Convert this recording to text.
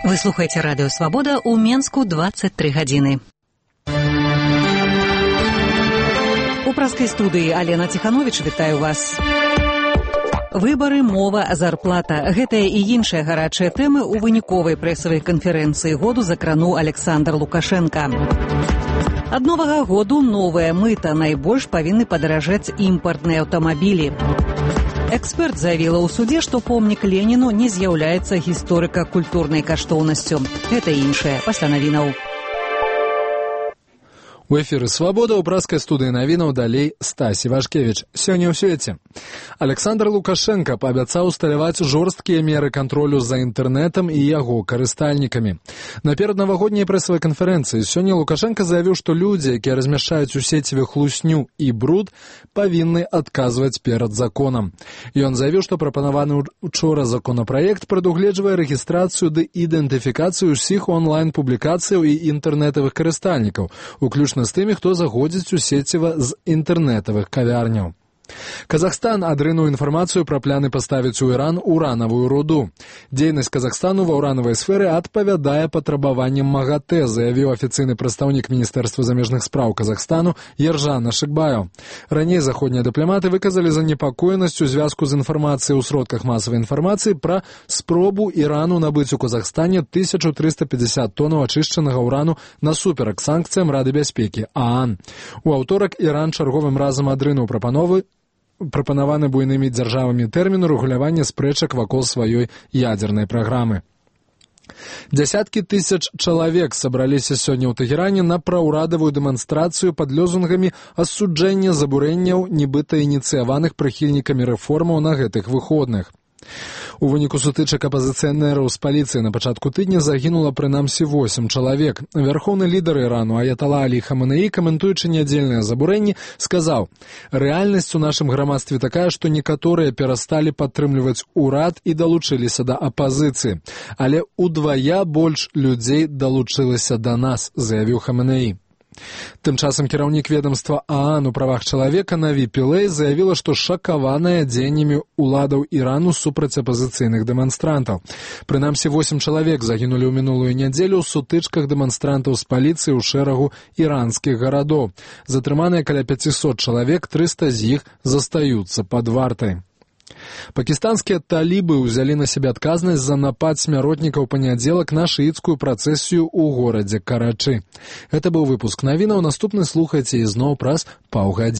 Вы слухаеце радыё «Свабода» ў Менску 23 гадзіны. У праскай студыі Алена Ціхановіч вітаю вас. Выбары, мова, зарплата. Гэтыя і іншыя гарачыя тэмы ў выніковай прэсавай канферэнцыі году закрануў Александр Лукашенко. Ад новага году новая мыта. Найбольш павінны падаражаць імпартныя аўтамабілі. Эксперт заявіла ў судзе, што помнік Леніну не з'яўляецца гісторыка-культурнай каштоўнасцю. Гэта іншае пасля навінаў. У эфіры «Свабода» ў праскай студыі навінаў далей Стасі Вашкевіч. Сёння ў свеце. Александр Лукашенко паабяцаў усталяваць жорсткія меры кантролю за інтэрнэтам і яго карыстальнікамі. На пераднавагодняй прэсавай канферэнцыі сёння Лукашенко заявіў, што людзі, якія размяшчаюць у сеціве хлусню і бруд, павінны адказваць перад законам. Ён заявіў, што прапанаваны учора законапраект прадугледжвае рэгістрацыю ды ідэнтыфікацыю ўсіх онлайн-публікацыяў і інтэрнэтавых карыстальнікаў, уключна з тымі, хто заходзіць у сеціва з інтэрнэтавых кавярняў. Казахстан адрынуў інфармацыю пра пляны паставіць у Іран уранавую руду. Дзейнасць Казахстану ва ўранавай сферы адпавядае патрабаванням МАГАТЭ, заявіў афіцыйны прадстаўнік Міністэрства замежных спраў Казахстану Ержан Ашыкбаев. Раней заходнія дыпламаты выказалі занепакоенасць у звязку з інфармацыяй у сродках масавай інфармацыі пра спробу Ірану набыць у Казахстане 1350 тонаў ачышчанага ўрану насуперак санкцыям Рады бяспекі ААН. У аўторак Іран чарговым разам адрынуў прапанаваны буйнымі дзяржавамі тэрміну рэгулявання спрэчак вакол сваёй ядзернай праграмы. Дзясяткі тысяч чалавек сабраліся сёння ў Тэгеране на праўрадавую дэманстрацыю пад лозунгамі асуджэння забурэнняў, нібыта ініцыяваных прыхільнікамі рэформаў на гэтых выходных. У выніку сутычак апазіцыянераў з паліцыяй на пачатку тыдня загінула прынамсі 8 чалавек. Вярхоўны лідар Ірану Аятала Алі Хаманеі, каментуючы нядзельныя забурэнні, сказаў: «Рэальнасць у нашым грамадстве такая, што некаторыя перасталі падтрымліваць урад і далучыліся да апазіцыі. Але удвая больш людзей далучылася да нас», заявіў Хаманеі. Тым часам кіраўнік ведамства ААН у правах чалавека Наві Пілэй заявіла, што шакаваная дзеяннямі уладаў Ірану супраць апазіцыйных дэманстрантаў. Прынамсі 8 чалавек загінулі ў мінулую нядзелю ў сутычках дэманстрантаў з паліцыяй у шэрагу іранскіх гарадоў. Затрыманыя каля 500 чалавек, 300 з іх застаюцца пад вартай. Пакістанскія талібы ўзялі на сябе адказнасць за напад смяротнікаў панядзелак на шыіцкую працэсію ў горадзе Карачы. Гэта быў выпуск навінаў. Наступны слухайце ізноў праз паўгадзіны.